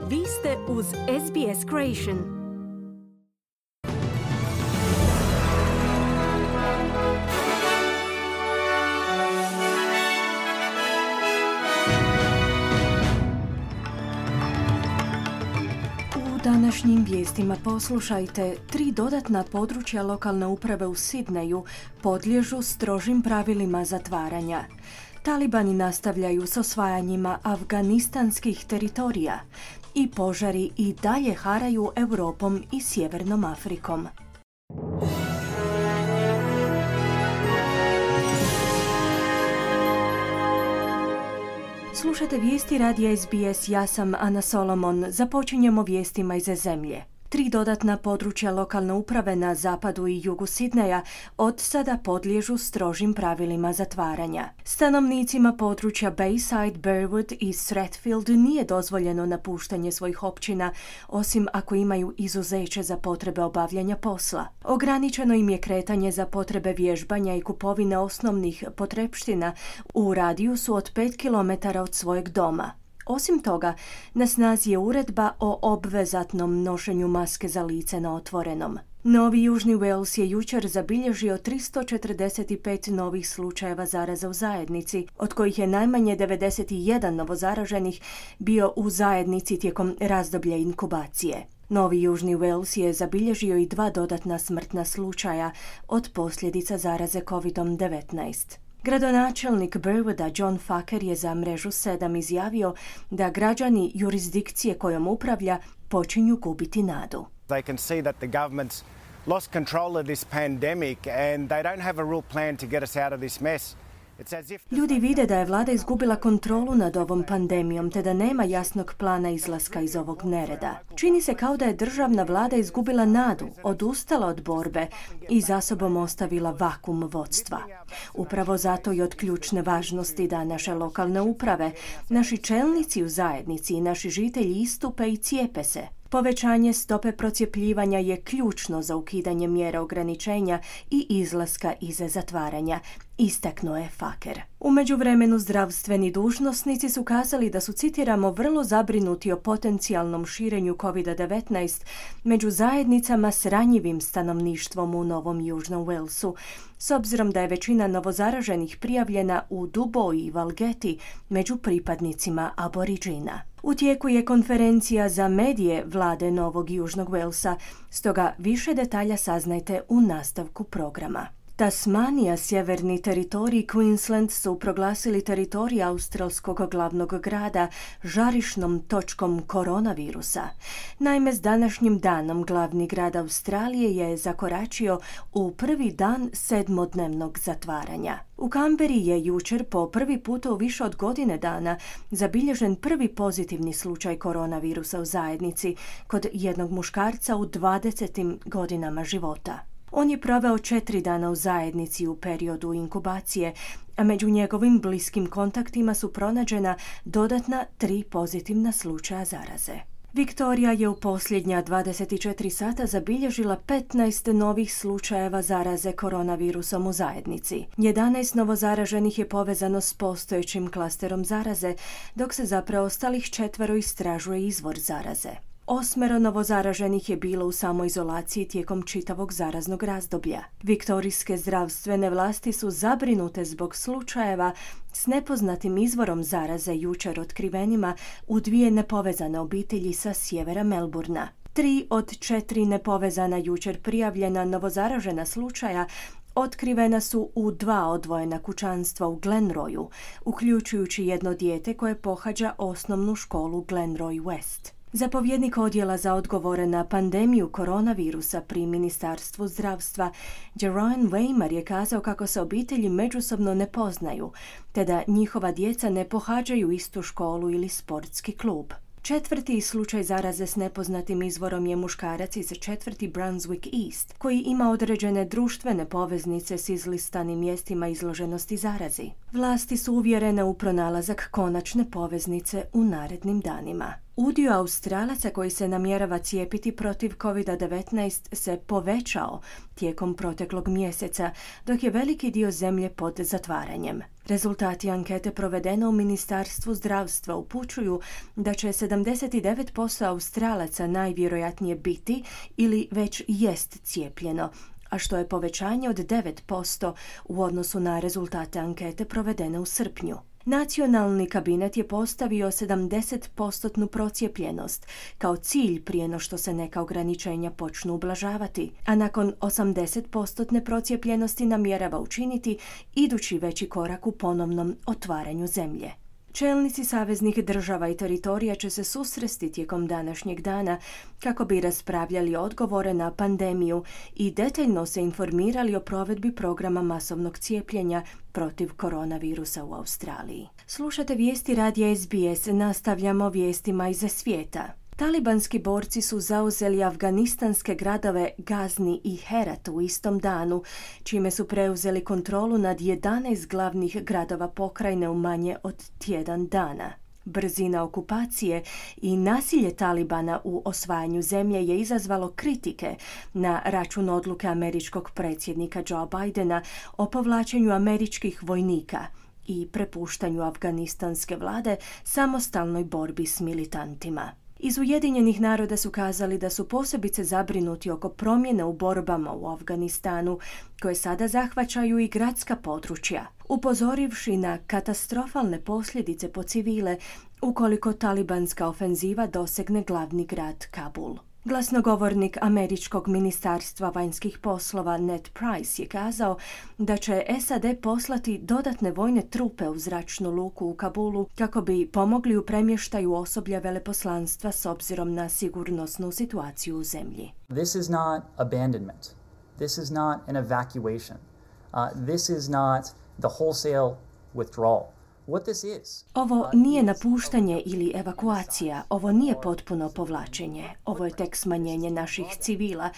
Vi ste uz SBS Creation. U današnjim vijestima poslušajte, 3 dodatna područja lokalne uprave u Sidneju podliježu strožim pravilima zatvaranja. Talibani nastavljaju s osvajanjima afganistanskih teritorija i požari i dalje haraju Europom i Sjevernom Afrikom. Slušate vijesti radija SBS, ja sam Ana Solomon. Započinjemo vijestima iz zemlje. 3 dodatna područja lokalne uprave na zapadu i jugu Sidneja od sada podliježu strožim pravilima zatvaranja. Stanovnicima područja Bayside, Burwood i Strathfield nije dozvoljeno napuštanje svojih općina, osim ako imaju izuzeće za potrebe obavljanja posla. Ograničeno im je kretanje za potrebe vježbanja i kupovine osnovnih potrepština u radijusu od 5 km od svojeg doma. Osim toga, na snazi je uredba o obvezatnom nošenju maske za lice na otvorenom. Novi Južni Wales je jučer zabilježio 345 novih slučajeva zaraze u zajednici, od kojih je najmanje 91 novozaraženih bio u zajednici tijekom razdoblja inkubacije. Novi Južni Wales je zabilježio i 2 dodatna smrtna slučaja od posljedica zaraze COVID-19. Gradonačelnik Burwooda John Faker je za mrežu 7 izjavio da građani jurisdikcije kojom upravlja počinju gubiti nadu. They can see that the government's lost control of this pandemic and they don't have a real plan to get us out of this mess. Ljudi vide da je vlada izgubila kontrolu nad ovom pandemijom te da nema jasnog plana izlaska iz ovog nereda. Čini se kao da je državna vlada izgubila nadu, odustala od borbe i za sobom ostavila vakuum vodstva. Upravo zato je od ključne važnosti da naše lokalne uprave, naši čelnici u zajednici i naši žitelji istupe i cijepe se. Povećanje stope procjepljivanja je ključno za ukidanje mjera ograničenja i izlaska iz zatvaranja, istaknuo je Faker. U međuvremenu zdravstveni dužnosnici su kazali da su, citiramo, vrlo zabrinuti o potencijalnom širenju COVID-19 među zajednicama s ranjivim stanovništvom u Novom Južnom Walesu, s obzirom da je većina novozaraženih prijavljena u Duboji i Valgeti među pripadnicima aboriđina. U tijeku je konferencija za medije vlade Novog Južnog Walesa, stoga više detalja saznajte u nastavku programa. Tasmanija, sjeverni teritorij i Queensland su proglasili teritorij australskog glavnog grada žarišnom točkom koronavirusa. Naime, s današnjim danom glavni grad Australije je zakoračio u prvi dan 7-dnevnog zatvaranja. U Kamberi je jučer po prvi puta u više od godine dana zabilježen prvi pozitivni slučaj koronavirusa u zajednici kod jednog muškarca u 20 godinama života. On je proveo 4 dana u zajednici u periodu inkubacije, a među njegovim bliskim kontaktima su pronađena dodatna 3 pozitivna slučaja zaraze. Viktorija je u posljednja 24 sata zabilježila 15 novih slučajeva zaraze koronavirusom u zajednici. 11 novozaraženih je povezano s postojećim klasterom zaraze, dok se za preostalih 4 istražuje izvor zaraze. 8 novozaraženih je bilo u samoizolaciji tijekom čitavog zaraznog razdoblja. Viktorijske zdravstvene vlasti su zabrinute zbog slučajeva s nepoznatim izvorom zaraze jučer otkrivenima u 2 nepovezane obitelji sa sjevera Melbourna. 3 od 4 nepovezana jučer prijavljena novozaražena slučaja otkrivena su u 2 odvojena kućanstva u Glenroyu, uključujući jedno dijete koje pohađa osnovnu školu Glenroy West. Zapovjednik odjela za odgovore na pandemiju koronavirusa pri Ministarstvu zdravstva Jeroen Weimer je kazao kako se obitelji međusobno ne poznaju, te da njihova djeca ne pohađaju istu školu ili sportski klub. 4. slučaj zaraze s nepoznatim izvorom je muškarac iz 4. Brunswick East, koji ima određene društvene poveznice s izlistanim mjestima izloženosti zarazi. Vlasti su uvjerene u pronalazak konačne poveznice u narednim danima. Udio Australaca koji se namjerava cijepiti protiv COVID-19 se povećao tijekom proteklog mjeseca, dok je veliki dio zemlje pod zatvaranjem. Rezultati ankete provedene u Ministarstvu zdravstva upućuju da će 79% Australaca najvjerojatnije biti ili već jest cijepljeno, a što je povećanje od 9% u odnosu na rezultate ankete provedene u srpnju. Nacionalni kabinet je postavio 70% procijepljenost kao cilj prije no što se neka ograničenja počnu ublažavati, a nakon 80% procijepljenosti namjerava učiniti idući veći korak u ponovnom otvaranju zemlje. Čelnici saveznih država i teritorija će se susresti tijekom današnjeg dana kako bi raspravljali odgovore na pandemiju i detaljno se informirali o provedbi programa masovnog cijepljenja protiv koronavirusa u Australiji. Slušate vijesti radija SBS, nastavljamo vijestima iz svijeta. Talibanski borci su zauzeli afganistanske gradove Gazni i Herat u istom danu, čime su preuzeli kontrolu nad 11 glavnih gradova pokrajine u manje od tjedan dana. Brzina okupacije i nasilje Talibana u osvajanju zemlje je izazvalo kritike na račun odluke američkog predsjednika Joe Bidena o povlačenju američkih vojnika i prepuštanju afganistanske vlade samostalnoj borbi s militantima. Iz Ujedinjenih naroda su kazali da su posebice zabrinuti oko promjene u borbama u Afganistanu, koje sada zahvaćaju i gradska područja, upozorivši na katastrofalne posljedice po civile ukoliko talibanska ofenziva dosegne glavni grad Kabul. Glasnogovornik američkog ministarstva vanjskih poslova Ned Price je kazao da će SAD poslati dodatne vojne trupe u zračnu luku u Kabulu kako bi pomogli u premještaju osoblja veleposlanstva s obzirom na sigurnosnu situaciju u zemlji. This is not abandonment. This is not an evacuation. This is not the wholesale withdrawal. Ovo nije napuštanje ili evakuacija, ovo nije potpuno povlačenje, ovo je tek smanjenje naših civila,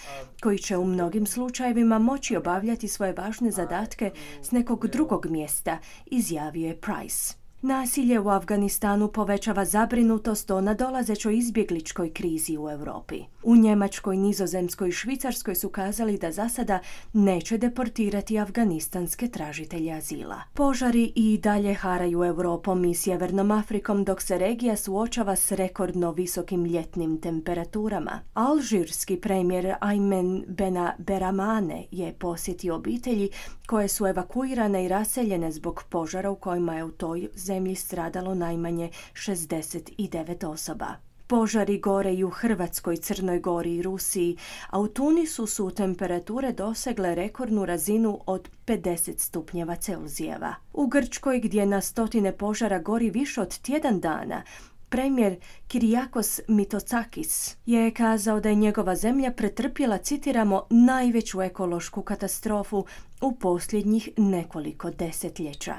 koji će u mnogim slučajevima moći obavljati svoje važne zadatke s nekog drugog mjesta, izjavio je Price. Nasilje u Afganistanu povećava zabrinutost o nadolazećoj izbjegličkoj krizi u Europi. U Njemačkoj, Nizozemskoj i Švicarskoj su kazali da za sada neće deportirati afganistanske tražitelje azila. Požari i dalje haraju Europom i Sjevernom Afrikom dok se regija suočava s rekordno visokim ljetnim temperaturama. Alžirski premijer Aymen Benaberamane je posjetio obitelji koje su evakuirane i raseljene zbog požara u kojima je u toj zemlji stradalo najmanje 69 osoba. Požari gore i u Hrvatskoj, Crnoj Gori i Rusiji, a u Tunisu su temperature dosegle rekordnu razinu od 50 stupnjeva Celzijeva. U Grčkoj, gdje na stotine požara gori više od tjedan dana, premijer Kyriakos Mitsotakis je kazao da je njegova zemlja pretrpjela, citiramo, najveću ekološku katastrofu u posljednjih nekoliko desetljeća.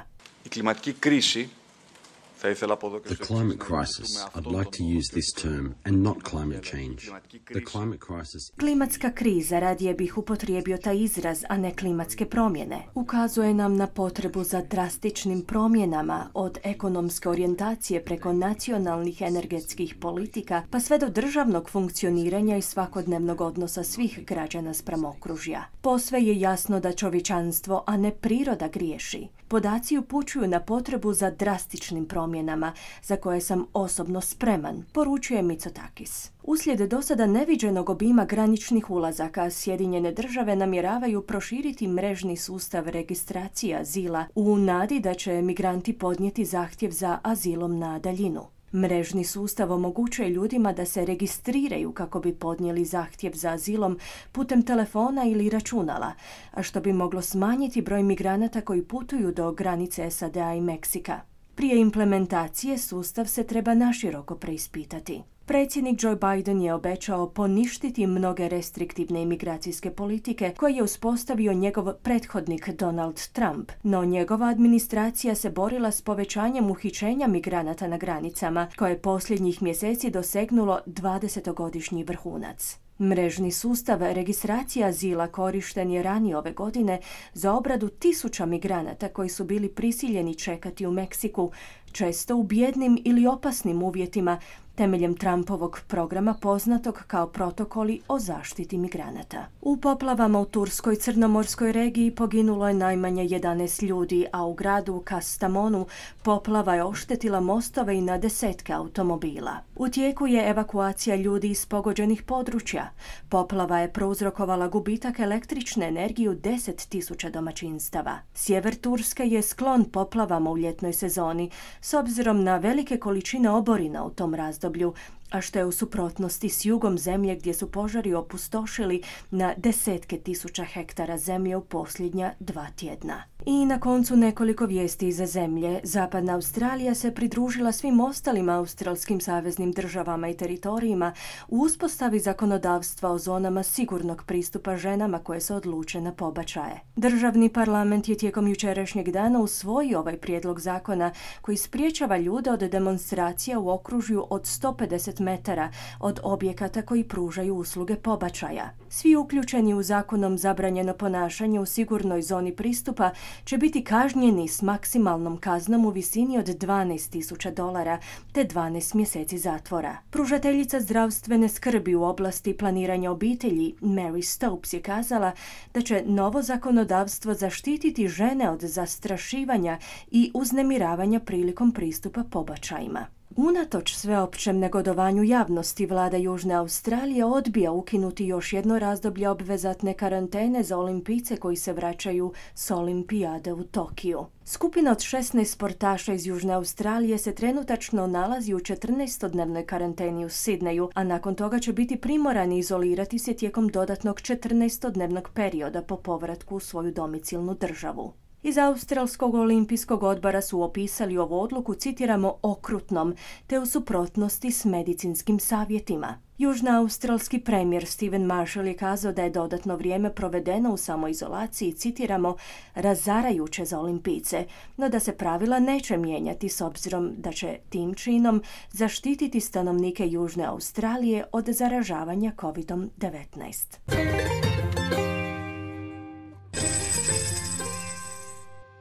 The climate crisis, I'd like to use this term and not climate change. The climate crisis... Klimatska kriza, radije bih upotrijebio taj izraz, a ne klimatske promjene, ukazuje nam na potrebu za drastičnim promjenama od ekonomske orijentacije preko nacionalnih energetskih politika pa sve do državnog funkcioniranja i svakodnevnog odnosa svih građana spram okružja. Posve je jasno da čovječanstvo, a ne priroda, griješi. Podaci upućuju na potrebu za drastičnim promjenama, za koje sam osobno spreman, poručuje Mitsotakis. Uslijed dosada neviđenog obima graničnih ulazaka, Sjedinjene države namjeravaju proširiti mrežni sustav registracije azila u nadi da će migranti podnijeti zahtjev za azilom na daljinu. Mrežni sustav omogućuje ljudima da se registriraju kako bi podnijeli zahtjev za azilom putem telefona ili računala, a što bi moglo smanjiti broj migranata koji putuju do granice SAD-a i Meksika. Prije implementacije sustav se treba naširoko preispitati. Predsjednik Joe Biden je obećao poništiti mnoge restriktivne imigracijske politike koje je uspostavio njegov prethodnik Donald Trump, no njegova administracija se borila s povećanjem uhićenja migranata na granicama, koje je posljednjih mjeseci dosegnulo 20-godišnji vrhunac. Mrežni sustav registracije azila korišten je ranije ove godine za obradu 1000 migranata koji su bili prisiljeni čekati u Meksiku, često u bijednim ili opasnim uvjetima, temeljem Trumpovog programa poznatog kao protokoli o zaštiti migranata. U poplavama u Turskoj crnomorskoj regiji poginulo je najmanje 11 ljudi, a u gradu Kastamonu poplava je oštetila mostove i na desetke automobila. U tijeku je evakuacija ljudi iz pogođenih područja. Poplava je prouzrokovala gubitak električne energije u 10.000 domaćinstava. Sjever Turske je sklon poplavama u ljetnoj sezoni, s obzirom na velike količine oborina u tom razdoblju, a što je u suprotnosti s jugom zemlje gdje su požari opustošili na desetke tisuća hektara zemlje u posljednja 2 tjedna. I na koncu nekoliko vijesti iza zemlje. Zapadna Australija se pridružila svim ostalim australskim saveznim državama i teritorijima u uspostavi zakonodavstva o zonama sigurnog pristupa ženama koje se odluče na pobačaje. Državni parlament je tijekom jučerašnjeg dana usvojio ovaj prijedlog zakona koji sprječava ljude od demonstracija u okružju od 150 metara od objekata koji pružaju usluge pobačaja. Svi uključeni u zakonom zabranjeno ponašanje u sigurnoj zoni pristupa će biti kažnjeni s maksimalnom kaznom u visini od $12,000 te 12 mjeseci zatvora. Pružateljica zdravstvene skrbi u oblasti planiranja obitelji, Mary Stopes, je kazala da će novo zakonodavstvo zaštititi žene od zastrašivanja i uznemiravanja prilikom pristupa pobačajima. Unatoč sveopćem negodovanju javnosti, vlada Južne Australije odbija ukinuti još jedno razdoblje obvezatne karantene za olimpijce koji se vraćaju s olimpijade u Tokiju. Skupina od 16 sportaša iz Južne Australije se trenutačno nalazi u 14-dnevnoj karanteni u Sidneju, a nakon toga će biti primorani izolirati se tijekom dodatnog 14-dnevnog perioda po povratku u svoju domicilnu državu. Iz Australskog olimpijskog odbora su opisali ovu odluku, citiramo, okrutnom, te u suprotnosti s medicinskim savjetima. Južnoaustralski premijer Stephen Marshall je kazao da je dodatno vrijeme provedeno u samoizolaciji, citiramo, razarajuće za olimpijce, no da se pravila neće mijenjati s obzirom da će tim činom zaštititi stanovnike Južne Australije od zaražavanja COVID-19.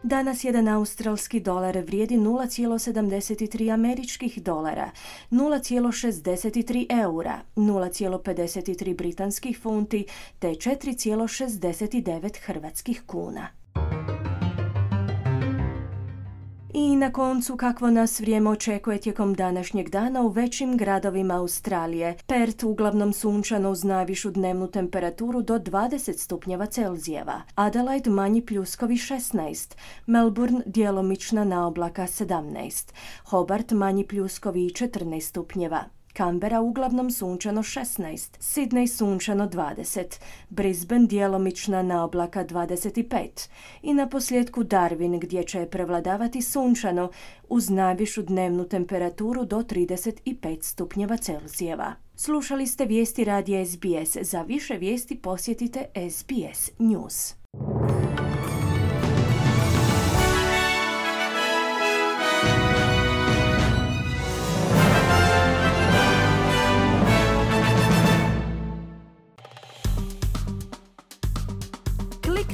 Danas jedan australski dolar vrijedi 0,73 američkih dolara, 0,63 eura, 0,53 britanskih funti te 4,69 hrvatskih kuna. I na koncu, kakvo nas vrijeme očekuje tijekom današnjeg dana u većim gradovima Australije. Perth uglavnom sunčano uz najvišu dnevnu temperaturu do 20 stupnjeva Celzijeva. Adelaide manji pljuskovi 16. Melbourne djelomična naoblaka 17. Hobart manji pljuskovi 14 stupnjeva. Canberra uglavnom sunčano 16, Sydney sunčano 20, Brisbane djelomična naoblaka 25 i na posljedku Darwin gdje će prevladavati sunčano uz najvišu dnevnu temperaturu do 35 stupnjeva Celzijeva. Slušali ste vijesti radija SBS. Za više vijesti posjetite SBS News.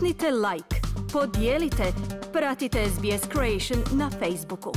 Kliknite like, podijelite, pratite SBS Creation na Facebooku.